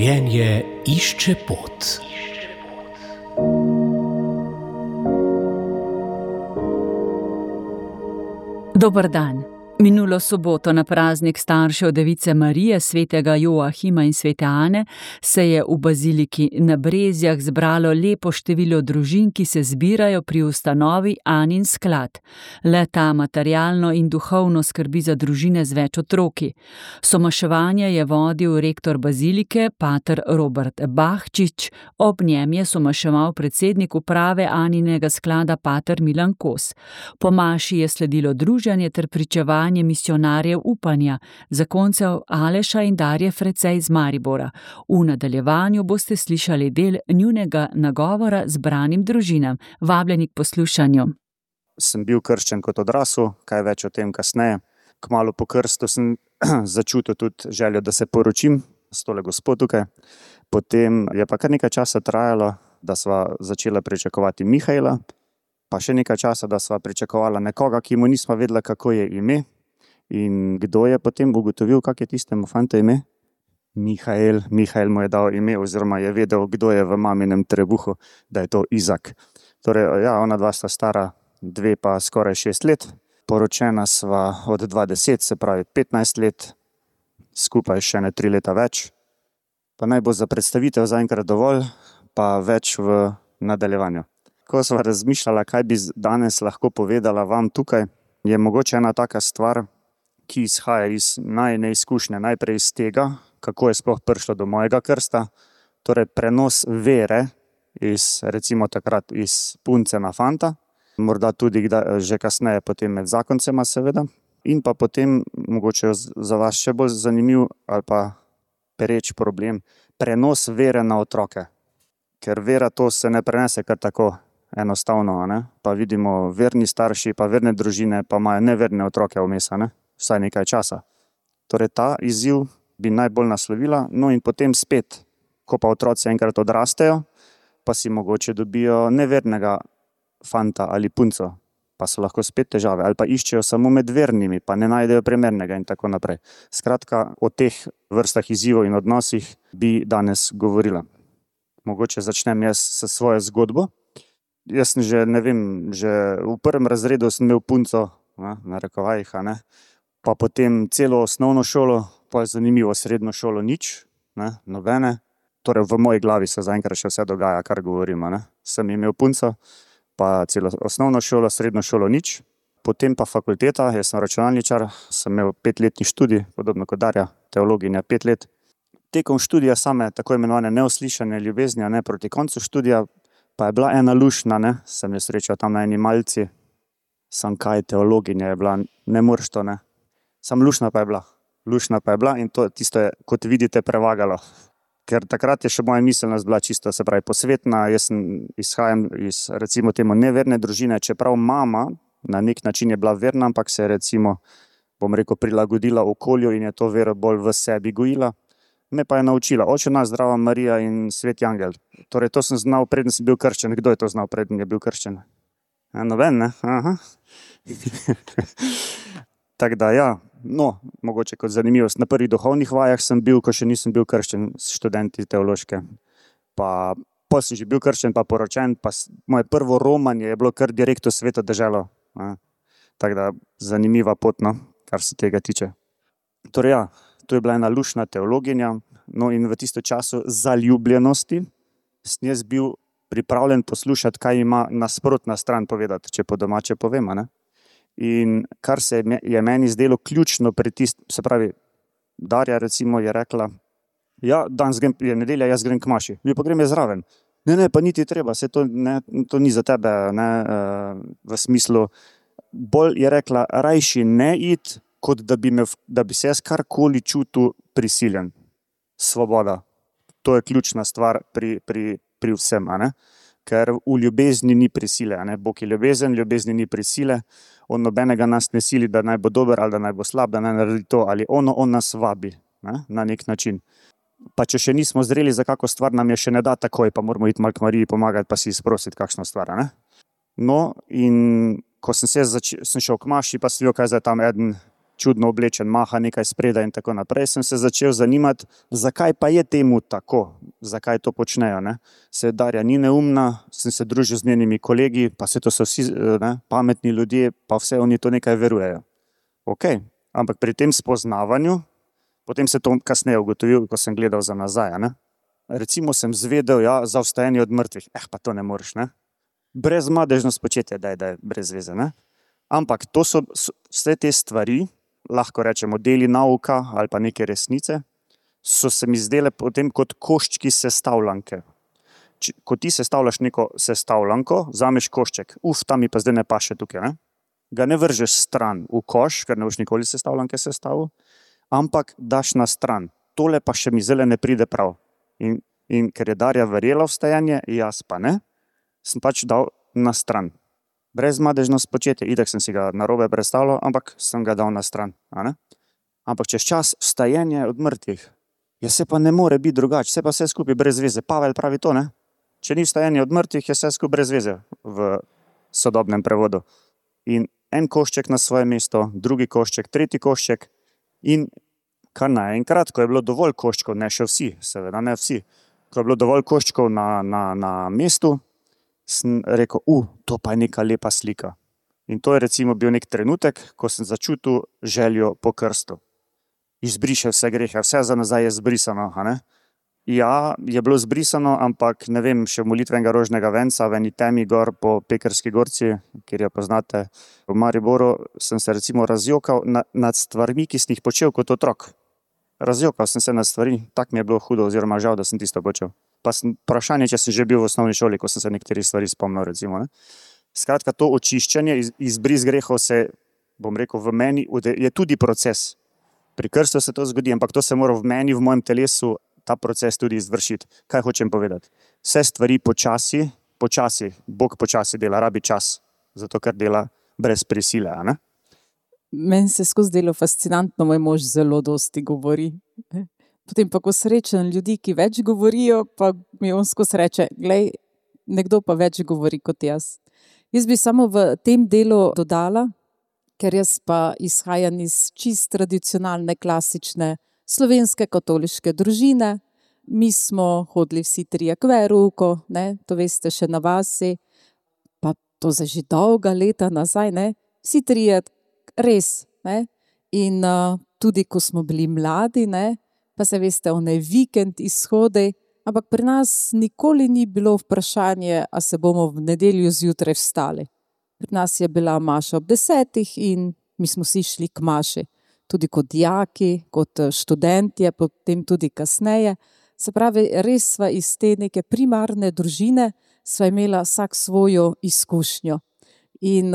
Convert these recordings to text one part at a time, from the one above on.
Življenje išče pot. Dober dan. Minulo soboto na praznik staršev Device Marije, svetega Joahima in svete Ane, se je v baziliki na Brezjah zbralo lepo število družin, ki se zbirajo pri ustanovi Anin sklad. Le-ta materialno in duhovno skrbi za družine z več otroki. Somaševanje je vodil rektor bazilike, pater Robert Bahčič, ob njem je somaševal predsednik uprave Aninega sklada, pater Milan Kos. Po maši je sledilo druženje ter pričevanje misionarjev upanja, zakoncev Aleša in Darje Frecej iz Maribora. V nadaljevanju boste slišali del njunega nagovora zbranim družinam. Vabljeni k poslušanju. Sem bil krščen kot odrasel, kaj več o tem kasneje. Kmalu po krstu sem začutil tudi željo, da se poročim s tole gospo tukaj. Potem je pa kar nekaj časa trajalo, da sva začela pričakovati Mihaela, pa še nekaj časa, da sva pričakovala nekoga, ki mu nismo vedela, kako je ime. In kdo je potem ugotovil, kak je tistemu fantu ime? Mihael. Mihael mu je dal ime, oziroma je vedel, kdo je v maminem trebuhu, da je to Izak. Torej, ja, ona dva sta stara 2 pa skoraj 6 let. Poročena sva od 20, se pravi 15 let, skupaj še ne 3 leta več. Pa naj bo za predstavitev zaenkrat dovolj, pa več v nadaljevanju. Ko sva razmišljala, kaj bi danes lahko povedala vam tukaj, je mogoče ena taka stvar, ki izhaja iz najine izkušnje, najprej iz tega, kako je sploh prišlo do mojega krsta, torej prenos vere iz, recimo takrat iz punce na fanta, morda tudi že kasneje potem med zakoncema seveda, in pa potem, mogoče za vas še bolj zanimiv ali pa pereč problem, prenos vere na otroke. Ker vera to se ne prenese kar tako enostavno, ne? Pa vidimo verni starši, pa verne družine, pa imajo neverne otroke vmes, ne? Vsaj nekaj časa. Torej ta izziv bi najbolj naslovila, no in potem spet, ko pa otroci enkrat odrastejo, pa si mogoče dobijo nevernega fanta ali punco, pa so lahko spet težave, ali pa iščejo samo med vernimi, pa ne najdejo primernega in tako naprej. Skratka, o teh vrstah izzivov in odnosih bi danes govorila. Mogoče začnem jaz s svojo zgodbo. Jaz sem že v 1. razredu sem imel punco, na rekovajih, ne? Pa potem celo osnovno šolo, pa je zanimivo, srednjo šolo nič, ne? Nobene. Torej v moji glavi se zaenkrat še vse dogaja, kar govorimo, ne? Sem imel punco, pa celo osnovno šolo, srednjo šolo nič. Potem pa fakulteta, jaz sem računalničar, sem imel 5-letni študij, podobno kot Darja, teologinja 5 let. Tekom študija same tako imenovane neuslišane ljubezni, ne, proti koncu študija, pa je bila ena lušna, ne, sem jo srečal tam na eni malci, sam kaj teologinja je bila, ne moreš to, ne. Sam lušna pa je bila in to tisto je, kot vidite, prevagalo. Ker takrat je še moja miselnost bila čisto, se pravi, posvetna, jaz izhajam iz, recimo temu, neverne družine, čeprav mama na nek način je bila verna, ampak se je, recimo, bom rekel, prilagodila okolju in je to vero bolj v sebi gojila. Me pa je naučila, Oče naš, Zdrava Marija in Sveti angel. Torej, to sem znal, preden sem bil krščen. Kdo je to znal, preden je bil krščen? Noben, ne? Aha. Tako da, ja, no, mogoče kot zanimivost. Na prvih duhovnih vajah sem bil, ko še nisem bil krščen, študenti teološke. Pa sem že bil krščen, pa poročen, pa moje prvo romanje je bilo kar direkt v Sveto deželo. Tako da, zanimiva pot, no, kar se tega tiče. Torej, ja, to je bila ena lušna teologinja, no in v tistem času zaljubljenosti sem jaz bil pripravljen poslušati, kaj ima nasprotna stran povedati, če po domače povem, ne. In kar se je meni zdelo ključno pri se pravi, Darja recimo je rekla, ja, danes je nedelja, jaz grem k maši, pa grem jaz zraven. Ne, pa niti treba, se to ni za tebe, ne, v smislu, bolj je rekla, rajši ne iti, kot da bi se jaz karkoli čutil prisiljen. Svoboda. To je ključna stvar pri vsem, ne? Ker v ljubezni ni prisile, ne? Bog je ljubezen, ljubezni ni prisile, on nobenega nas ne sili, da naj bo dober ali da naj bo slab, da naj naredi to ali ono, on nas vabi, ne? Na nek način. Pa če še nismo zreli za kako stvar, nam je še ne da takoj, pa moramo iti malo k Mariji pomagati, pa si izprositi kakšno stvar, ne? No, in ko sem šel k maši, pa sem videl, kaj zdaj tam eden čudno oblečen, maha nekaj spredaj in tako naprej, sem se začel zanimati, zakaj pa je temu tako, zakaj to počnejo. Ne? Se Darja ni neumna, sem se družil z njenimi kolegi, pa se to so vsi pametni ljudje, pa vse oni to nekaj verujejo. Ok, ampak pri tem spoznavanju, potem se to kasneje ugotovil, ko sem gledal za nazaj. Ne? Recimo sem zvedel, za vstajanje od mrtvih, pa to ne moreš, ne? Brezmadežno spočetje, da je brez veze, ne? Ampak to so vse te stvari, lahko rečemo deli nauka ali pa neke resnice, so se mi zdele potem kot koščki sestavljanke. Ko ti sestavljaš neko sestavljanko, vzameš košček, ta mi pa zdaj ne paše tukaj, ne? Ga ne vržeš stran v koš, ker ne boš nikoli sestavljanke sestavil, ampak daš na stran. Tole pa še mi zdaj ne pride prav. In ker je Darja verjela v vstajanje, jaz pa ne, sem pač dal na stran. Brezmadežno spočetje, itak sem si ga narobe predstavljal, ampak sem ga dal na stran. Ampak čez čas vstajanje od mrtvih, se pa ne more biti drugače, se pa vse skupaj brez veze. Pavel pravi to, ne? Če ni vstajanje od mrtvih, je vse skupaj brez veze v sodobnem prevodu. In en košček na svoje mesto, drugi košček, tretji košček in kar naenkrat, ko je bilo dovolj koščkov, ne še vsi, seveda ne vsi, ko je bilo dovolj koščkov na mestu, sem rekel, to pa je neka lepa slika. In to je recimo bil nek trenutek, ko sem začutil željo po krstu. Izbriše vse grehe, vse za nazaj je zbrisano. Ja, je bilo zbrisano, ampak ne vem, še molitvenega rožnega venca v eni temi gor po Pekrski gorci, kjer jo poznate v Mariboru, sem se recimo razjokal nad stvarmi, ki sem jih počel kot otrok. Razjokal sem se nad stvari, tak mi je bilo hudo oziroma žal, da sem tisto počel. Pa vprašanje, če sem že bil v osnovni šoli, ko sem se nekateri stvari spomnil, recimo. Skratka, to očiščenje, izbris grehov se, bom rekel, v meni, je tudi proces. Pri krstu se to zgodi, ampak to se mora v meni, v mojem telesu, ta proces tudi izvršiti. Kaj hočem povedati? Vse stvari počasi, Bog počasi dela, rabi čas, zato ker dela brez prisile, ne? Meni se skozi delo fascinantno, moj mož zelo dosti govori. Potem pa, ko srečam ljudi, ki več govorijo, pa mi on skozi reče, glej, nekdo pa več govori kot jaz. Jaz bi samo v tem delu dodala, ker jaz pa izhajam iz čist tradicionalne, klasične slovenske katoliške družine. Mi smo hodili vsi trije k verouku, to veste še na vasi, pa to za že dolga leta nazaj, vsi trije res. In tudi, ko smo bili mladi, pa se veste, vikend izhodi, ampak pri nas nikoli ni bilo vprašanje, a se bomo v nedeljo zjutraj vstali. Pri nas je bila maša ob 10 in mi smo si šli k maši. Tudi kot dijaki, kot študentje, potem tudi kasneje. Se pravi, res sva iz te neke primarne družine, sva imela vsak svojo izkušnjo. In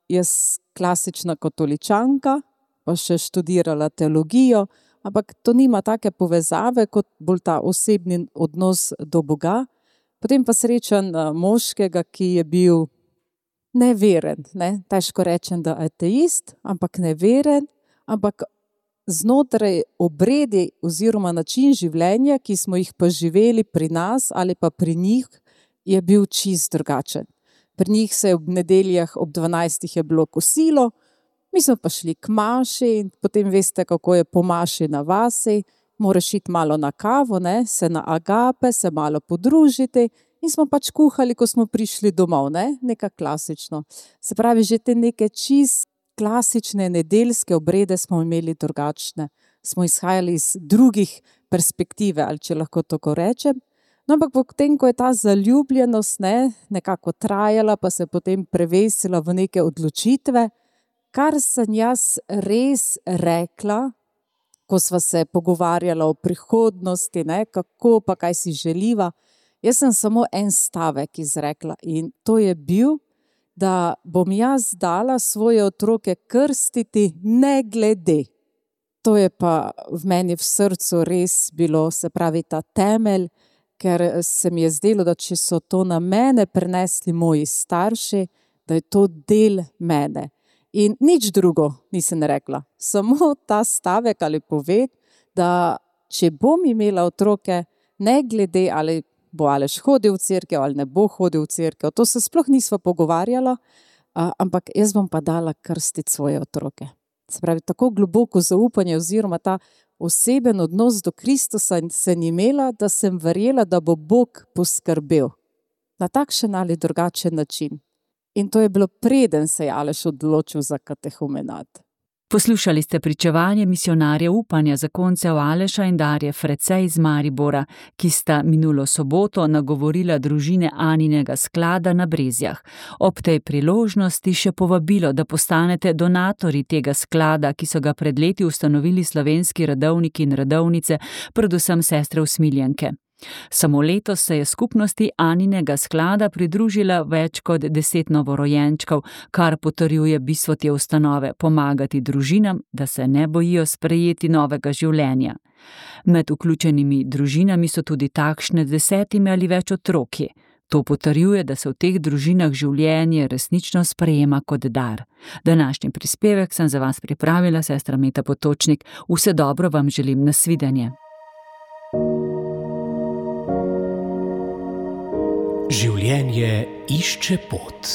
jaz klasična katoličanka, pa še študirala teologijo, ampak to nima take povezave, kot bolj ta osebni odnos do Boga. Potem pa srečam moškega, ki je bil neveren, težko rečem, da ateist, ampak neveren, ampak znotraj obredi oziroma način življenja, ki smo jih pa živeli pri nas ali pa pri njih, je bil čist drugačen. Pri njih se je ob nedeljah ob 12 je bilo kosilo, mi smo pa šli k maši in potem veste, kako je po maši na vasi, moraš iti malo na kavo, se na agape, se malo podružiti in smo pač kuhali, ko smo prišli domov, nekaj klasično. Se pravi, že te neke čist klasične nedeljske obrede smo imeli drugačne. Smo izhajali iz drugih perspektive, ali če lahko tako rečem. No, ampak potem, ko je ta zaljubljenost nekako trajala, pa se potem prevesila v neke odločitve, kar sem jaz res rekla, ko sva se pogovarjala o prihodnosti, kako pa kaj si želiva, jaz sem samo en stavek izrekla in to je bil, da bom jaz dala svoje otroke krstiti ne glede. To je pa v meni v srcu res bilo, se pravi, ta temelj, ker se mi je zdelo, da če so to na mene prenesli moji starši, da je to del mene. In nič drugo nisem rekla, samo ta stavek ali poved, da če bom imela otroke, ne glede ali bo Aleš hodil v cerkev ali ne bo hodil v cerkev, to se sploh nisva pogovarjala, ampak jaz bom pa dala krstiti svoje otroke. Se pravi, tako globoko zaupanje oziroma ta oseben odnos do Kristusa sem imela, da sem verjela, da bo Bog poskrbel na takšen ali drugačen način. In to je bilo, preden se je Aleš odločil za katehumenat. Poslušali ste pričevanje misionarja upanja zakoncev Aleša in Darje Frecej iz Maribora, ki sta minulo soboto nagovorila družine Aninega sklada na Brezjah. Ob tej priložnosti še povabilo, da postanete donatorji tega sklada, ki so ga pred leti ustanovili slovenski redovniki in redovnice, predvsem sestre usmiljenke. Samo letos se je skupnosti Aninega sklada pridružila več kot 10 novorojenčkov, kar potrjuje bistvo te ustanove pomagati družinam, da se ne bojijo sprejeti novega življenja. Med vključenimi družinami so tudi takšne 10 ali več otroki. To potrjuje, da se v teh družinah življenje resnično sprejema kot dar. Današnji prispevek sem za vas pripravila sestra Meta Potočnik. Vse dobro vam želim, nasvidenje. Življenje išče pot.